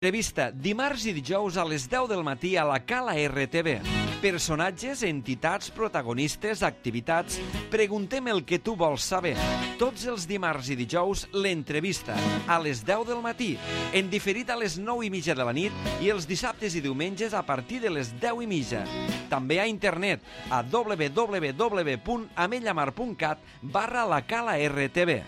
Entrevista dimarts i dijous a les 10 del matí a la Cala RTV. Personatges, entitats, protagonistes, activitats. Preguntem el que tu vols saber. Tots els dimarts i dijous, l'entrevista a les 10 del matí. En diferit a les 9:30 de la nit i els dissabtes i diumenges a partir de les 10:30. També a internet a www.amellamar.cat/la Cala RTV.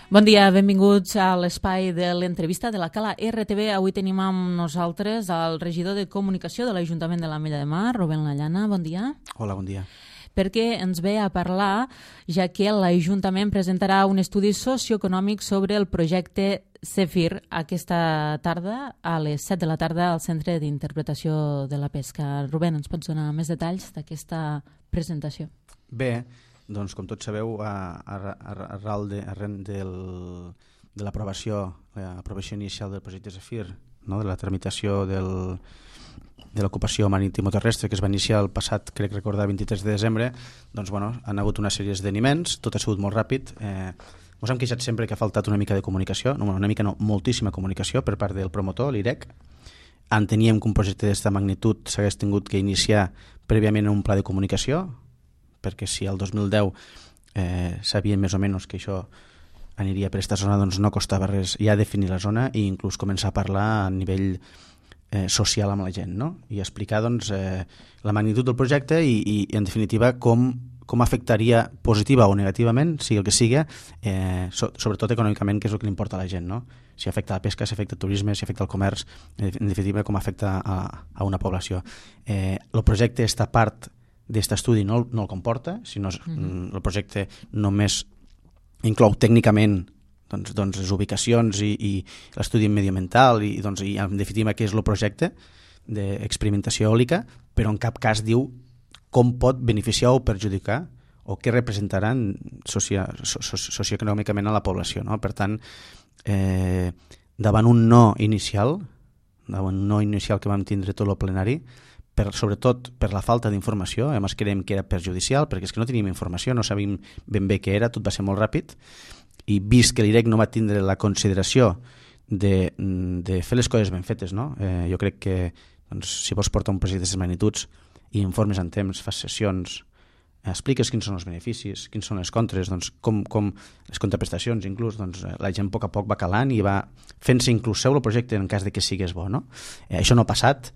Bon dia, benvinguts a l'espai de l'entrevista de la Cala RTV. Avui tenim amb nosaltres el regidor de Comunicació de l'Ajuntament de l'Ametlla de Mar, Rubén Lallana. Bon dia. Hola, bon dia. Perquè ens ve a parlar, ja que l'Ajuntament presentarà un estudi socioeconòmic sobre el projecte Zèfir aquesta tarda a les 7 de la tarda al Centre d'Interpretació de la Pesca. Rubén, ens pots donar més detalls d'aquesta presentació? Bé, doncs, com tots sabeu, arran de l'aprovació inicial del projecte Zèfir, no? De la tramitació de l'ocupació marítimo-terrestre que es va iniciar el passat, crec recordar, 23 de desembre, doncs, bueno, han hagut una sèrie d'esdeveniments, tot ha sigut molt ràpid. Ens hem queixat sempre que ha faltat una mica de comunicació, moltíssima comunicació per part del promotor, l'IREC. Enteníem que un projecte d'aquesta magnitud s'hagués tingut que iniciar prèviament un pla de comunicació, perquè si el 2010 sabien més o menys que això aniria per aquesta zona, doncs no costava res ja definir la zona i inclús començar a parlar a nivell social amb la gent, no? I explicar doncs, la magnitud del projecte i en definitiva com afectaria positiva o negativament, sigui el que sigui, sobretot econòmicament, que és el que li importa a la gent, no? Si afecta la pesca, si afecta el turisme, si afecta el comerç, en definitiva com afecta a una població. El projecte, esta part d'aquest estudi no el comporta, sinó el projecte només inclou tècnicament doncs, les ubicacions i l'estudi mediambiental i en definitiva què és el projecte d'experimentació eòlica, però en cap cas diu com pot beneficiar o perjudicar o què representaran socioeconòmicament a la població, no? Per tant, davant un no inicial que vam tindre tot el plenari, sobretot per la falta d'informació, a més creiem que era perjudicial, perquè és que no teníem informació, no sabíem ben bé què era, tot va ser molt ràpid, i vist que l'IREC no va tindre la consideració de fer les coses ben fetes, no? Jo crec que doncs, si vols portar un projecte d'aquestes magnituds i informes en temps, fas sessions, expliques quins són els beneficis, quins són les contres, doncs, com les contraprestacions, inclús doncs, la gent a poc va calant i va fent-se inclús seu el projecte en cas de que sigués bo, no? Això no ha passat,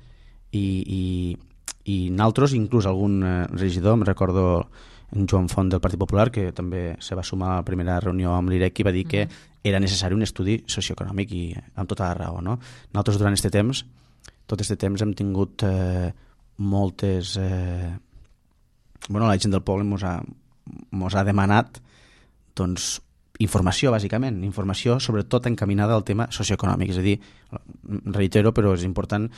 i nosaltres, inclús algun regidor, em recordo en Joan Font del Partit Popular, que també se va sumar a la primera reunió amb l'IREC i va dir que era necessari un estudi socioeconòmic i amb tota la raó, no? Nosaltres durant tot aquest temps hem tingut moltes... la gent del poble mos ha demanat doncs, informació, bàsicament, informació sobretot encaminada al tema socioeconòmic, és a dir, reitero, però és important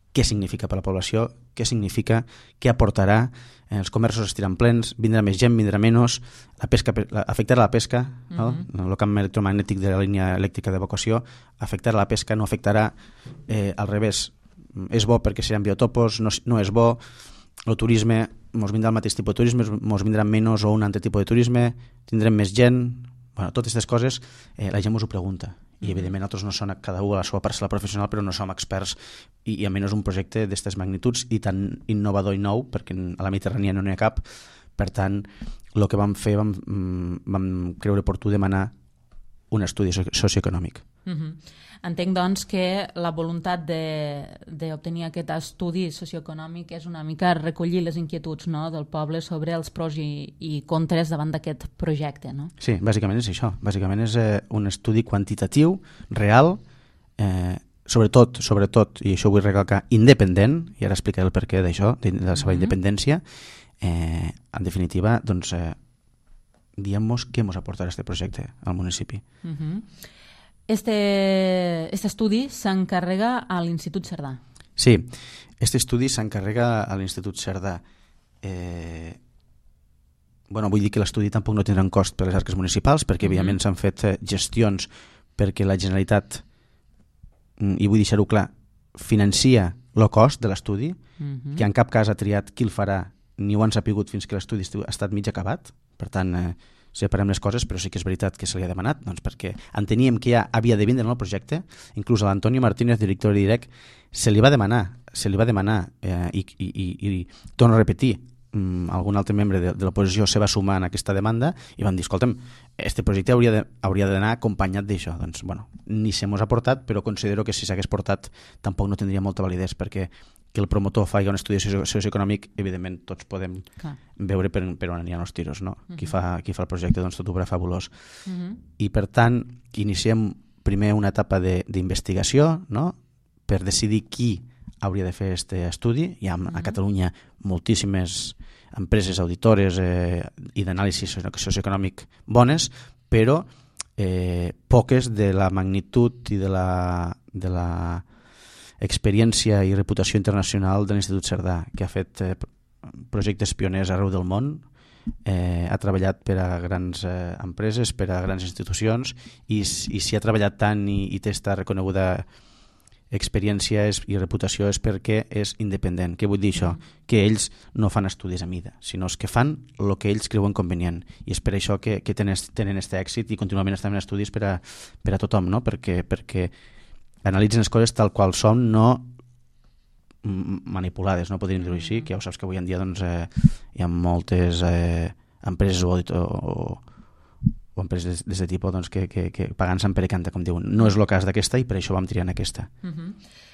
què significa per a la població, què significa, què aportarà, els comerços estiran plens, vindrà més gent, vindrà menys, la pesca, afectarà la pesca, no? El camp electromagnètic de la línia elèctrica d'evacuació afectarà la pesca, no afectarà al revés, és bo perquè seran biotopos, no és bo, el turisme, ens vindrà el mateix tipus de turisme, ens vindrà menys o un altre tipus de turisme, tindrem més gent, totes aquestes coses la gent ens ho pregunta. I evidentment nosaltres no som cada un a la seva parcel·la professional, però no som experts i a menys un projecte d'aquestes magnituds i tan innovador i nou, perquè a la Mediterrània no n'hi ha cap. Per tant, el que vam fer, vam creure oportú demanar un estudi socioeconòmic. Entenc, doncs, que la voluntat d'obtenir aquest estudi socioeconòmic és una mica recollir les inquietuds, no?, del poble sobre els pros i contres davant d'aquest projecte, no? Sí, bàsicament és això. Bàsicament és un estudi quantitatiu, real, sobretot, i això vull recalcar, independent, i ara explicaré el perquè d'això, de la seva independència. En definitiva, doncs, diguem-nos què ens aportarà aquest projecte al municipi. Este estudi s'encarrega a l'Institut Cerdà. Sí, aquest estudi s'encarrega a l'Institut Cerdà. Vull dir que l'estudi tampoc no tindrà un cost per les arques municipals, perquè evidentment s'han fet gestions perquè la Generalitat, i vull deixar-ho clar, financia el cost de l'estudi, que en cap cas ha triat qui el farà ni ho han sapigut fins que l'estudi ha estat mig acabat, per tant separem les coses, però sí que és veritat que se li ha demanat, doncs perquè enteníem que ja havia de vindre en el projecte, inclús a l'Antonio Martínez, director de DIREC, se li va demanar i torno a repetir, algun altre membre de l'oposició se va sumar en aquesta demanda i van dir, escolta'm, este projecte hauria d'anar acompanyat d'això. Doncs, bueno, ni se mos ha portat, però considero que si s'hagués portat tampoc no tindria molta validesa, perquè que el promotor faci un estudi socioeconòmic, evidentment tots podem veure per on aniran els tiros, no? Qui fa el projecte, doncs tot ho veurà fabulós. I per tant, iniciem primer una etapa d'investigació, no?, per decidir qui hauria de fer aquest estudi. Hi ha a Catalunya moltíssimes empreses auditores i d'anàlisi socioeconòmic bones, però poques de la magnitud i de la experiència i reputació internacional de l'Institut Cerdà, que ha fet projectes pioners arreu del món, ha treballat per a grans empreses, per a grans institucions, i si ha treballat tant i té esta reconeguda experiència i reputació és perquè és independent. Què vull dir això? Que ells no fan estudis a mida, sinó que fan el que ells creuen convenient, i és per això que tenen aquest èxit i contínuament estan en estudis per a tothom, no? Perquè analitzen les coses tal qual són, no manipulades, no podríem dir-ho així, que ja ho saps que avui en dia doncs, hi ha moltes empreses o empreses d'aquest tipus doncs, que pagant se'n per canta, com diuen. No és el cas d'aquesta i per això vam triar en aquesta.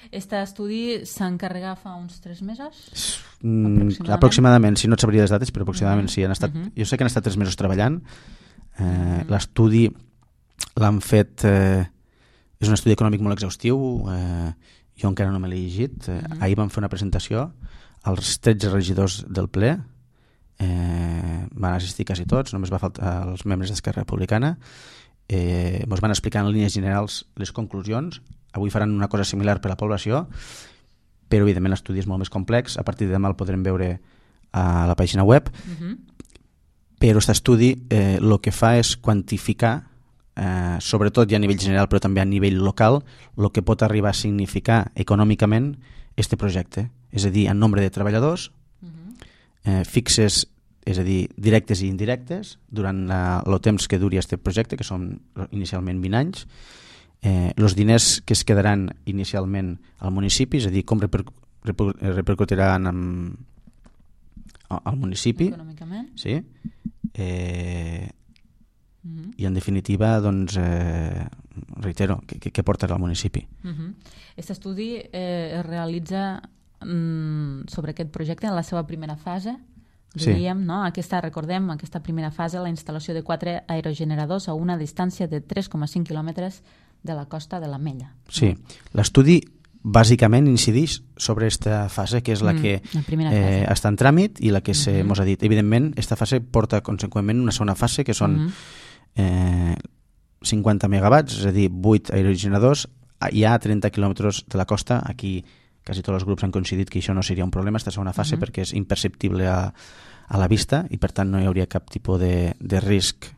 Aquest estudi s'encarrega fa uns 3 mesos? Aproximadament, si no et sabria les dates, però aproximadament sí. Jo sé que han estat 3 mesos treballant. L'estudi l'han fet... És un estudi econòmic molt exhaustiu. Jo encara no me l'he llegit. Ahir vam fer una presentació als 13 regidors del ple. Van assistir quasi tots, només va faltar els membres d'Esquerra Republicana. Ens van explicar en línies generals les conclusions. Avui faran una cosa similar per a la població, però evidentment l'estudi és molt més complex. A partir de demà el podrem veure a la pàgina web. Però aquest estudi el que fa és quantificar, sobretot ja a nivell general però també a nivell local, el que pot arribar a significar econòmicament este projecte, és a dir, en nombre de treballadors fixes, és a dir, directes i indirectes, durant el temps que duri aquest projecte, que són inicialment 20 anys, els diners que es quedaran inicialment al municipi, és a dir, com repercutiran al municipi econòmicament, sí, i en definitiva doncs, reitero, què portarà al municipi. Aquest estudi es realitza sobre aquest projecte en la seva primera fase, diríem, no? Recordem, aquesta primera fase, la instal·lació de 4 aerogeneradors a una distància de 3,5 quilòmetres de la costa de l'Ametlla. Sí, l'estudi bàsicament incideix sobre aquesta fase, que és la que està en tràmit i la que mos ha dit. Evidentment, aquesta fase porta conseqüentment una segona fase, que són 50 megawatts, és a dir, 8 aerogeneradors, hi ha 30 quilòmetres de la costa. Aquí quasi tots els grups han coincidit que això no seria un problema, aquesta segona fase, perquè és imperceptible a la vista i per tant no hi hauria cap tipus de risc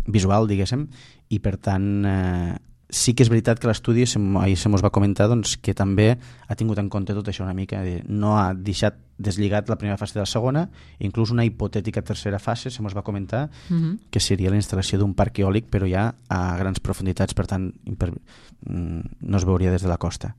visual, diguéssim, i per tant sí que és veritat que l'estudi, ahir se mos va comentar doncs, que també ha tingut en compte tot això una mica, no ha deixat deslligat la primera fase de la segona, inclús una hipotètica tercera fase, se mos va comentar que seria la instal·lació d'un parc eòlic, però ja a grans profunditats, per tant no es veuria des de la costa.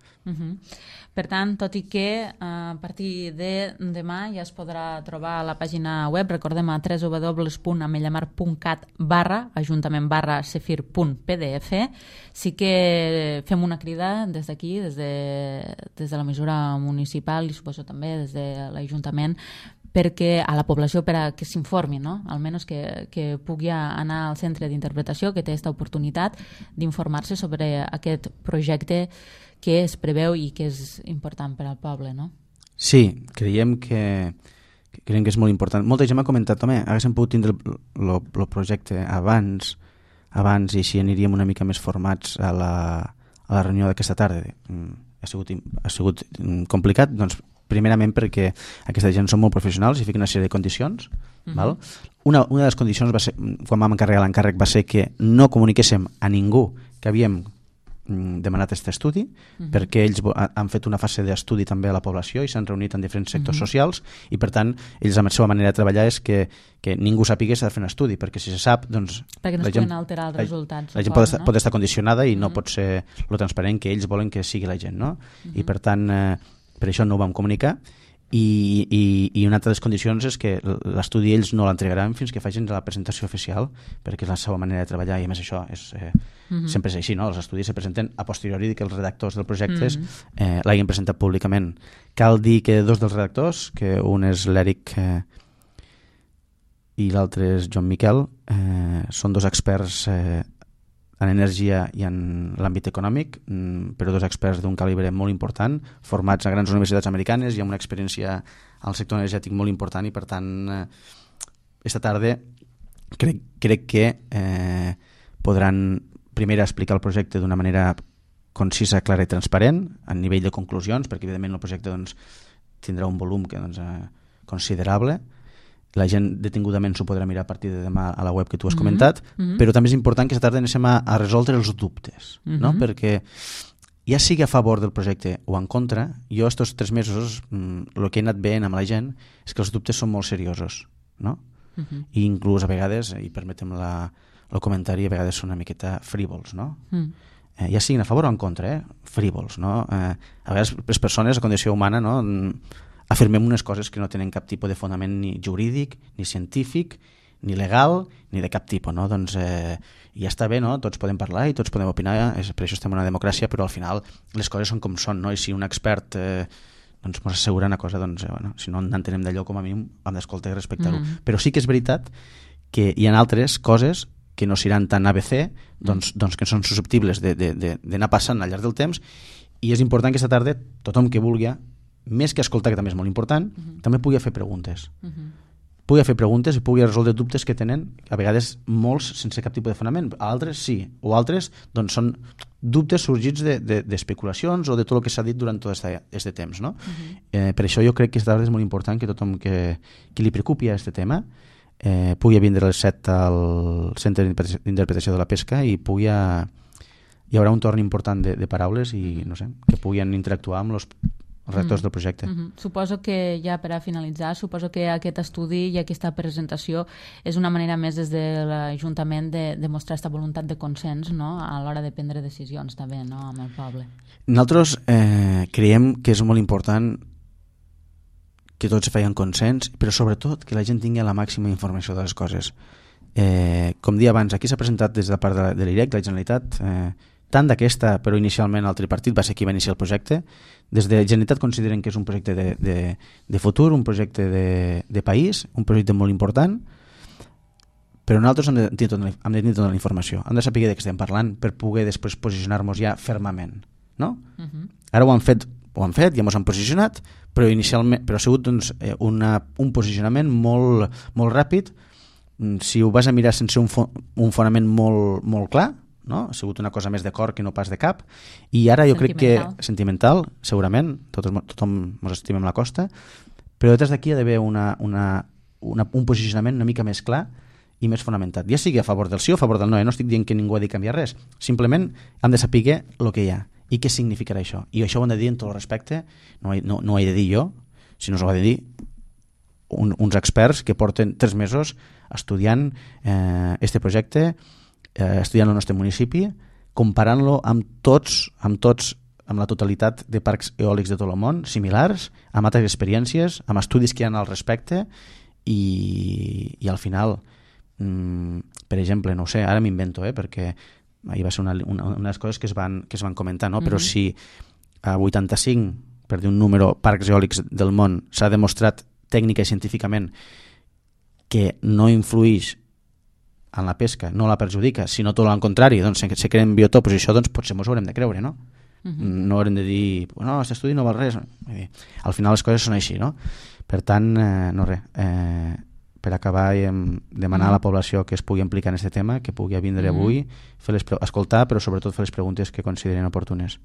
Per tant, tot i que a partir de demà ja es podrà trobar a la pàgina web, recordem a www.ametlamar.cat/ajuntament/cefir.pdf, sí que fem una crida des d'aquí, des de la mesura municipal i suposo també des de l'Ajuntament, perquè a la població per a que s'informi, no? Almenys que pugui anar al centre d'interpretació, que té aquesta oportunitat d'informar-se sobre aquest projecte que es preveu i que és important per al poble, no? Sí, creiem que és molt important. Molta gent m'ha comentat, home, haguéssim pogut tindre el projecte abans i així aniríem una mica més formats a la reunió d'aquesta tarda. Ha sigut complicat, doncs primerament perquè aquesta gent són molt professionals i fiquen una sèrie de condicions. Val? Una de les condicions va ser, quan vam encarregar l'encàrrec, va ser que no comuniquéssim a ningú que havíem demanat aquest estudi, perquè ells han fet una fase d'estudi també a la població i s'han reunit en diferents sectors socials i, per tant, ells amb la seva manera de treballar és que ningú sàpiga que s'ha de fer un estudi, perquè si se sap, doncs... Perquè no es poden alterar els resultats. La gent pot estar condicionada i no pot ser lo transparent que ells volen que sigui la gent, no? I, per tant, per això no ho vam comunicar. I una altra de les condicions és que l'estudi ells no l'entregaran fins que facin la presentació oficial, perquè és la seva manera de treballar i a més això és, sempre és així, no? Els estudis se presenten a posteriori que els redactors del projecte l'hagin presentat públicament. Cal dir que dos dels redactors, que un és l'Eric i l'altre és Joan Miquel, són dos experts en energia i en l'àmbit econòmic, però dos experts d'un calibre molt important, formats a grans universitats americanes i amb una experiència al sector energètic molt important i, per tant, esta tarda crec que podran primer explicar el projecte d'una manera concisa, clara i transparent a nivell de conclusions, perquè evidentment el projecte doncs, tindrà un volum que, doncs, considerable. La gent detingudament s'ho podrà mirar a partir de demà a la web que tu has comentat, però també és important que aquesta tarda anem a resoldre els dubtes, no? Perquè ja sigui a favor del projecte o en contra, jo estos 3 mesos el que he anat veient amb la gent és que els dubtes són molt seriosos, no? I inclús a vegades, i permetem el comentari, a vegades són una miqueta frívols, no? Ja siguin a favor o en contra, frívols, no? A vegades les persones, la condició humana, no? Afirmem unes coses que no tenen cap tipus de fonament ni jurídic, ni científic, ni legal, ni de cap tipus, no? Doncs ja està bé, no? Tots podem parlar i tots podem opinar, per això estem en una democràcia, però al final les coses són com són, no? I si un expert doncs ens assegura una cosa, doncs, bueno, si no n'entenem d'allò, com a mínim hem d'escoltar i respectar-ho. Però sí que és veritat que hi ha altres coses que no seran tan ABC, doncs que són susceptibles d'anar passant al llarg del temps, i és important que aquesta tarda tothom que vulgui, més que escoltar, que també és molt important, també pugui fer preguntes. Pugui fer preguntes i pugui resoldre dubtes que tenen, a vegades molts sense cap tipus de fonament, altres sí, o altres doncs són dubtes sorgits d'especulacions o de tot el que s'ha dit durant tot aquest temps, no? Per això jo crec que aquesta tarda és molt important que tothom que li preocupi a aquest tema pugui vindre a les 7 al Centre d'Interpretació de la Pesca i hi haurà un torn important de paraules i no sé, que puguin interactuar amb els redactors del projecte. Suposo que ja per a finalitzar, suposo que aquest estudi i aquesta presentació és una manera més des de l'Ajuntament de mostrar aquesta voluntat de consens, no? A l'hora de prendre decisions també, no? Amb el poble. Nosaltres creiem que és molt important que tots feien consens, però sobretot que la gent tingui la màxima informació de les coses. Com dia abans, aquí s'ha presentat des de part de l'IREC, la Generalitat, tant d'aquesta, però inicialment el tripartit va ser qui va iniciar el projecte. Des de la Generalitat consideren que és un projecte de futur, un projecte de país, un projecte molt important, però nosaltres hem de tenir tota la informació, hem de saber de què estem parlant per poder després posicionar-nos ja fermament, no? Ara ho han fet, ja ens han posicionat, però inicialment ha sigut doncs, un posicionament molt, molt ràpid. Si ho vas a mirar sense un fonament molt, molt clar, no? Ha sigut una cosa més de cor que no pas de cap, i ara jo crec que sentimental, segurament, tothom ens estimem la costa, però detrás d'aquí hi ha d'haver un posicionament una mica més clar i més fonamentat, ja sigui a favor del sí o a favor del no, no estic dient que ningú ha de canviar res, simplement hem de saber el que hi ha i què significarà això, i això ho hem de dir en tot el respecte, no ho he de dir jo, sinó ho ha de dir uns experts que porten 3 mesos estudiant este projecte, estudiant el nostre municipi, comparant-lo amb la totalitat de parcs eòlics de tot el món, similars, amb altres experiències, amb estudis que hi ha al respecte, i al final, per exemple, no ho sé, ara m'invento, perquè ahir va ser una de les coses que es van comentar, no? Però si a 85, per dir un número, parcs eòlics del món s'ha demostrat tècnica i científicament que no influïx en la pesca, no la perjudica, sinó tot el contrari, doncs se creen biotopos i això doncs potser ens ho haurem de creure, no? No haurem de dir, no, aquest estudi no val res. Al final les coses són així, no? Per tant, no res. per acabar, demanar a la població que es pugui implicar en aquest tema, que pugui vindre avui, escoltar, però sobretot fer les preguntes que consideren oportunes.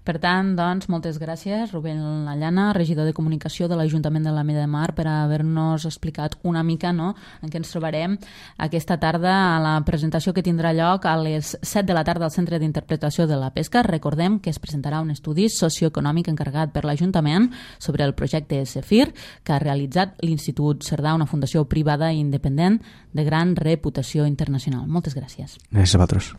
Per tant, doncs, moltes gràcies, Rubén Lallana, regidor de Comunicació de l'Ajuntament de l'Ametlla de Mar, per haver-nos explicat una mica en què ens trobarem aquesta tarda a la presentació que tindrà lloc a les 7 de la tarda al Centre d'Interpretació de la Pesca. Recordem que es presentarà un estudi socioeconòmic encarregat per l'Ajuntament sobre el projecte SEFIR que ha realitzat l'Institut Cerdà, una fundació privada i independent de gran reputació internacional. Moltes gràcies. Gràcies a vosaltres.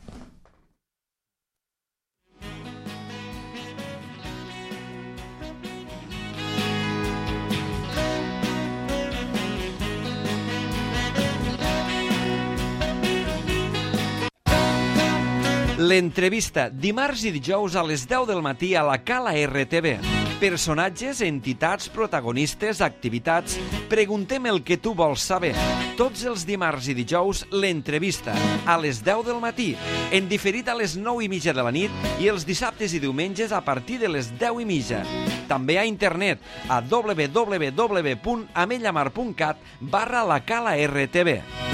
L'entrevista, dimarts i dijous a les 10 del matí a la Cala RTV. Personatges, entitats, protagonistes, activitats... Preguntem el que tu vols saber. Tots els dimarts i dijous, l'entrevista, a les 10 del matí, en diferit a les 9:30 de la nit i els dissabtes i diumenges a partir de les 10:30. També a internet a www.ametllamar.cat/la Cala RTV.